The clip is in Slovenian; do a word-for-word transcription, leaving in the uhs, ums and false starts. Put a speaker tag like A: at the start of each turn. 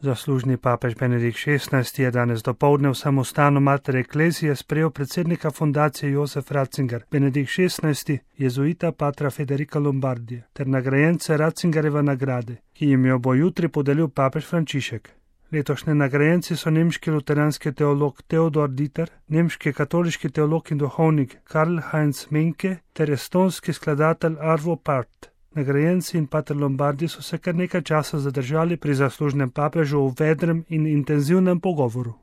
A: Zaslužni papež Benedikt šestnajsti je danes dopoldne v samostanu Mater Ecclesiae sprejel predsednika fundacije Josef Ratzinger, Benedikt šestnajsti, jezuita patra Federica Lombardija, ter nagrajence Ratzingerjeve nagrade, ki jim jo bo jutri podelil papež Frančišek. Letošnji nagrajenci so nemški luteranski teolog Theodor Dieter, nemški katoliški teolog in duhovnik Karl Heinz Menke ter estonski skladatelj Arvo Pärt. Nagrajenci in pater Lombardi so se kar nekaj časa zadržali pri zaslužnem papežu v vedrem in intenzivnem pogovoru.